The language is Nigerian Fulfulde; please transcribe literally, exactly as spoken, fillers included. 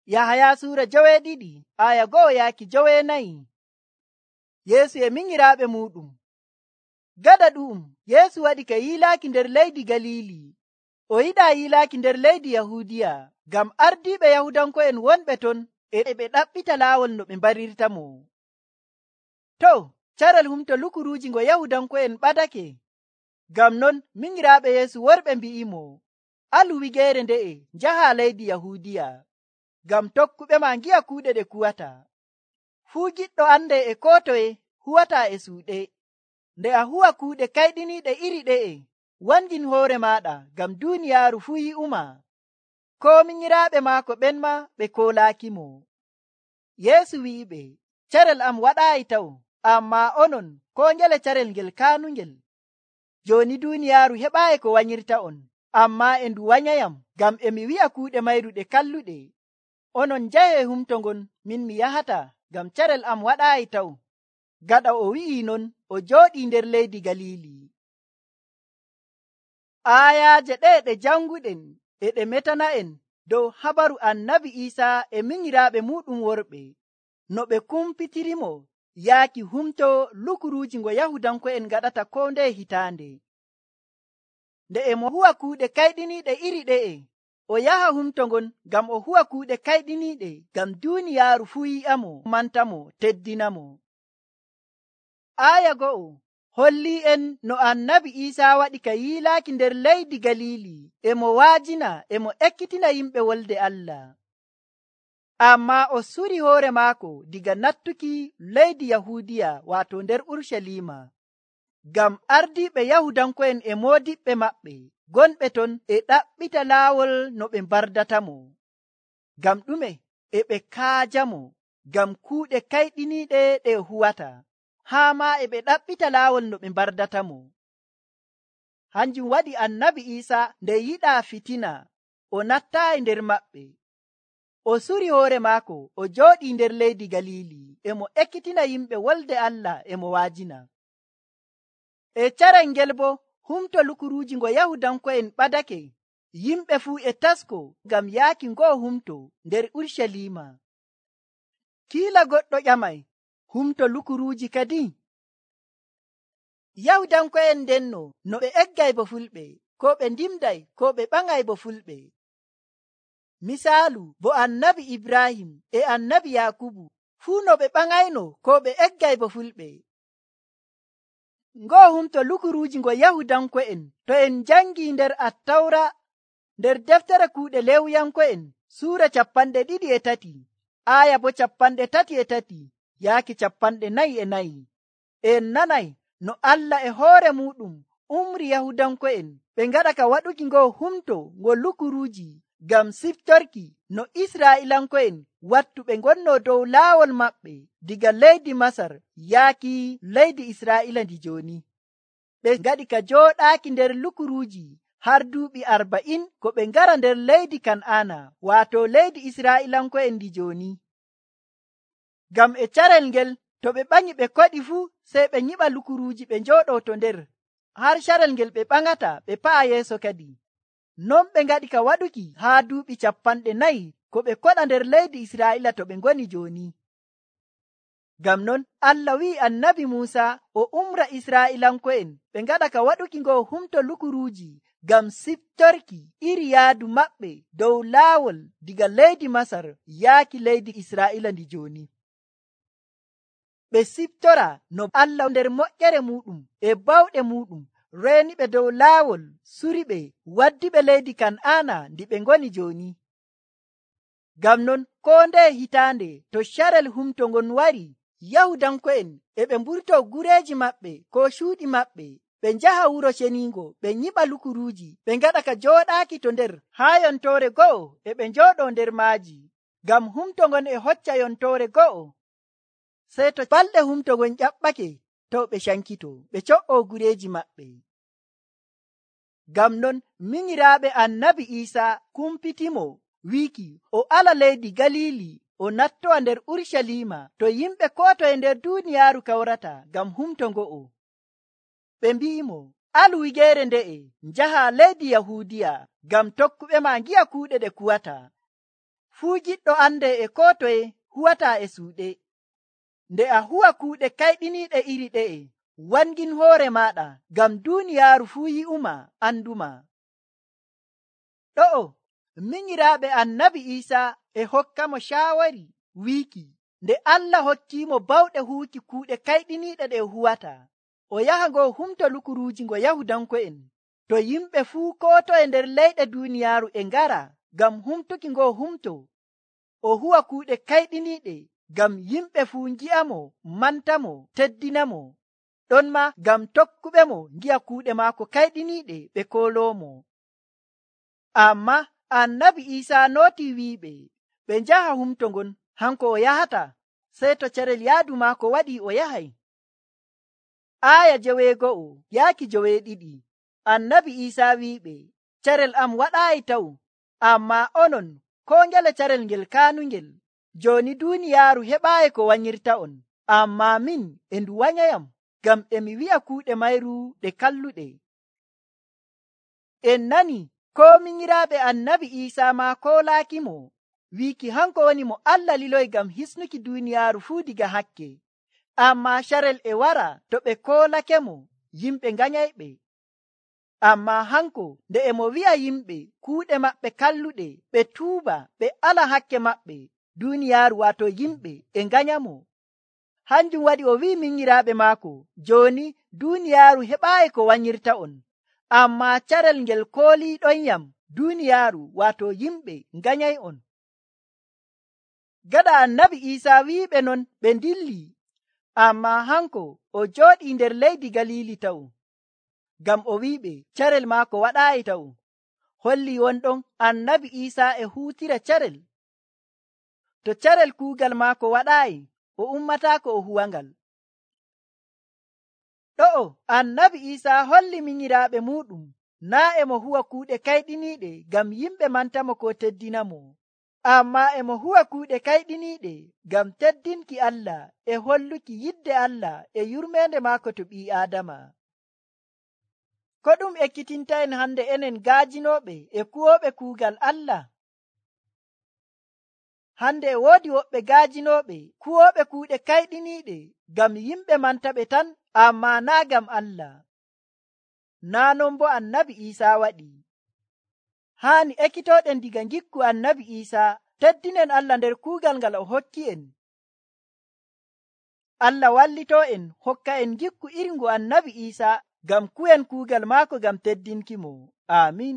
Yahaya suura joweeɗiɗi aya go'o yaaki joweenayi. Yeesu e minyiraaɓe muuɗum. Gaɗa ɗu'um Yeesu waɗi ka yiilaaki nder leydi Galiili. O yiɗaa yiilaaki nder leydi Yahuudiya ngam ardiiɓe Yahudanko'en wonɓe ton e ɓe ɗaɓɓita laawol no ɓe mbarirtamo. To, carel humto lukuruuji ngo Yahudanko'en ɓadake. Ngam non minyiraaɓe Yeesu worɓe mbi'imo, alu wigeere nde'e njaha leydi Yahuudiya, ngam tokkuɓe ma ngi'a kuuɗe ɗe kuwata. Fuu giɗɗo ande e koo toye huwataa e suuɗe. Nde a huwa kuuɗe kayɗiniiɗe iri ɗe'e, wangin hoore maaɗa ngam duuniyaaru fuu yi'uma. Koo minyiraaɓe maako ɓen ma ɓe koolaakimo. Yeesu wi'iɓe, carel am waɗaayi taw, ammaa onon koo ngele carel ngel kaanungel. Jooni duuniyaaru heɓaayi ko wanyirta'on, ammaa e ndu wanyayam ngam e mi wi'a kuuɗe mayru ɗe kalluɗe. Onon njahee humto ngon, min mi yahata, ngam carel am waɗaayi taw. Gaɗa o wi'ii non, o jooɗii nder leydi Galiili. Aayaaje ɗe ɗe janguɗen e ɗe metana'en dow habaru annabi Iisaa e minyiraaɓe muuɗum worɓe, no ɓe kumpitirimo yaaki humto lukuruuji ngo Yahudanko'en ngaɗata koo ndeye hitaande. Nde e mo huwa kuuɗe kayɗiniiɗe iri ɗe'e, o yaha humto ngon ngam o huwa kuuɗe kayɗiniiɗe ngam duuniyaaru fuu yi'amo, mantamo, teddinamo. Aaya go'o hollii en no annabi Iisaa waɗi ka yiilaaki nder leydi Galiili, e mo waajina e mo ekkitina yimɓe wolde Allah. Ammaa o suri hoore maako diga nattuki leydi Yahuudiya, waato nder Urshalima, ngam ardiiɓe Yahudanko'en e moodiɓɓe maɓɓe gonɓe ton e ɗaɓɓita laawol no ɓe mbardatamo. Ngam ɗume? E ɓe kaajamo ngam kuuɗe kayɗiniiɗe ɗe huwata, haa maa e ɓe ɗaɓɓita laawol no ɓe mbardatamo. Hanjum waɗi annabi Iisaa nde yiɗaa fitina, o nattaayi nder maɓɓe. O suri hoore maako, o jooɗii nder leydi Galiili, e mo ekkitina yimɓe wolde Allah e mo waajina. E carel ngel bo humto lukuruuji ngo Yahudanko'en ɓadake. Yimɓe fuu e tasko ngam yaaki ngoo humto nder Urshalima. Kiila goɗɗo ƴamay, humto lukuruuji kadi? Yahudanko'en ndenno no ɓe eggay bo fulɓe, ko ɓe ndimday, ko ɓe ɓaŋay bo fulɓe. Misaalu bo annabi Ibrahim e annabi Yakubu fuu no ɓe ɓaŋayno ko ɓe eggay bo fulɓe. Ngoo humto lukuruuji ngo Yahudanko'en to en jangi nder Attawra, nder deftere kuuɗe Lewuyanko'en suura cappanɗe ɗiɗi e tati, aaya bo cappanɗe tati e tati yaaki cappanɗe nayi e nayi. En nanay no Allah e hoore muɗum umri Yahudanko'en ɓe ngaɗa ka waɗuki ngoo humto ngo lukuruuji ngam siftorki no Israa'ilanko'en wattu ɓe ngonno dow laawol maɓɓe diga leydi Masar yaaki leydi Israa'ila ndi jooni. Ɓe ngaɗi ka jooɗaaki nder lukuruuji har duuɓi arba'in ko ɓe ngara nder leydi Kan'aana, waato leydi Israa'ilanko'en ndi jooni. Ngam e carel ngel to ɓe ɓanyi ɓe koɗi fuu sey ɓe nyiɓa lukuruuji ɓe njooɗoo to nder, har carel ngel ɓe ɓaŋata ɓe pa'a yeeso kadi. Non ɓe ngaɗi ka waɗuki haa duuɓi cappanɗe nayi ko ɓe koɗa nder leydi Israa'ila to ɓe ngoni jooni. Ngam non Allah wi'i annabi Muusa o umra Israa'ilanko'en ɓe ngaɗa ka waɗuki ngoo humto lukuruuji ngam siftorki iri yaadu maɓɓe dow laawol diga leydi Masar yaaki leydi Israa'ila ndi jooni. Ɓe siftora no Allah nder moƴƴere muɗum e bawɗe muɗum reeni ɓe dow laawol suri ɓe waddi ɓe leydi Kan'aana ndi ɓe ngoni jooni. Ngam non koo ndeye hitaande to carel humto ngon wari, Yahudanko'en e ɓe mburtoo gureeji maɓɓe ko cuuɗi maɓɓe, ɓe njaha wuro ceniingo, ɓe nyiɓa lukuruuji, ɓe ngaɗa ka jooɗaaki to nder haa yontoore go'o e ɓe njooɗoo nder maaji, ngam humto ngon e hocca yontoore go'o. Sey to balɗe humto ngon ƴaɓɓake, to ɓe cankito, ɓe co'oo gureeji maɓɓe. Ngam non minyiraaɓe annabi Iisaa kumpitimo wiiki o ala leydi Galiili o nattowa nder Urshalima to yimɓe koo toye nder duuniyaaru kawrata ngam humto ngo'o. Ɓe mbi'imo, alu wigeere nde'e njaha leydi Yahuudiya ngam tokkuɓe ma ngi'a kuuɗe ɗe kuwata. fuu giɗɗo ande e ko toye huwata e suuɗe. Nde a huwa kuuɗe kayɗiniiɗe iri ɗe'e, wangin hoore maɗa ngam duuniyaaru fuu yi'uma anduma. Ɗo'o minyiraaɓe annabi Iisaa e hokka mo shaawari wiiki nde Allah hokkiimo bawɗe huuki kuuɗe kayɗiniiɗe ɗe huwata, o yaha ngo humto lukuruuji ngo Yahudanko'en, to yimɓe fuu koo toye nder leyɗe duuniyaaru e ngara ngam humtuki ngo humto. O huwa kuuɗe kayɗiniiɗe ngam yimɓe fuu ngi'amo, mantamo, teddinamo, ɗon ma ngam tokkuɓe mo ngi'a kuuɗe maako kayɗiniiɗe ɓe kooloomo. Amma annabi Iisaa nooti wi'iɓe ɓe njaha humto ngon, hanko o yahata, sey to carel yaadu maako waɗi o yahay. Aaya joweego'o yaaki joweeɗiɗi, annabi Iisaa wi'iɓe, carel am waɗaayi taw, amma onon koo ngele carel ngel kaanungel. Jooni duuniyaaru heɓaayi ko wanyirta on, amma min e ndu wanyayam, ngam emi wi'a kuuɗe mayru ɗe kalluɗe. En nani ko minyiraaɓe annabi Iisaa ma koolaakimo, wiiki hanko woni mo Allah liloyi ngam hisnuki duuniyaaru fuu diga hakke. Amma carel e wara to ɓe koolakemo, yimɓe nganyayɓe. Amma hanko nde e mo wi'a yimɓe kuuɗe maɓɓe kalluɗe, ɓe tuuba, ɓe ala hakke maɓɓe, duuniyaaru waato yimɓe e nganyamo. Hanjum waɗi o wi'i minyiraaɓe maako, jooni duuniyaaru heɓaayi ko wanyirta on, amma carel ngel kooliiɗonyam, duuniyaaru waato yimɓe nganyay on. Gaɗa annabi Iisaa wi'iɓe non ɓe ndilli, amma hanko o jooɗii nder leydi Galiili taw, ngam o wi'iɓe carel maako waɗaayi taw. Holli wonɗon annabi Iisaa e huutira carel. To carel kuugal maako waɗaayi, o ummataako o huwangal. Ɗo'o annabi Iisaa holli minyiraaɓe muuɗum naa e mo huwa kuuɗe kayɗiniiɗe ngam yimɓe mantamo ko teddinamo, amma e mo huwa kuuɗe kayɗiniiɗe ngam teddinki Allah e holluki yidde Allah e yurmeende maako to ɓii Aadama. Ko ɗum ekkitinta en hande enen gaajinooɓe e kuwooɓe kuugal Allah? Hande e woodi woɓɓe gaajinooɓe kuwooɓe kuuɗe kayɗiniiɗe ngam yimɓe mantaɓe tan, amma naa ngam Allah. Naa non bo annabi Iisaa waɗi. Haani ekkitooɗen diga ngikku annabi Iisaa, teddinen Allah nder kuugal ngal o hokki en. Allah wallitoo en hokka en ngikku iri ngu annabi Iisaa ngam kuwen kuugal maako ngam teddinki mo. Aamin.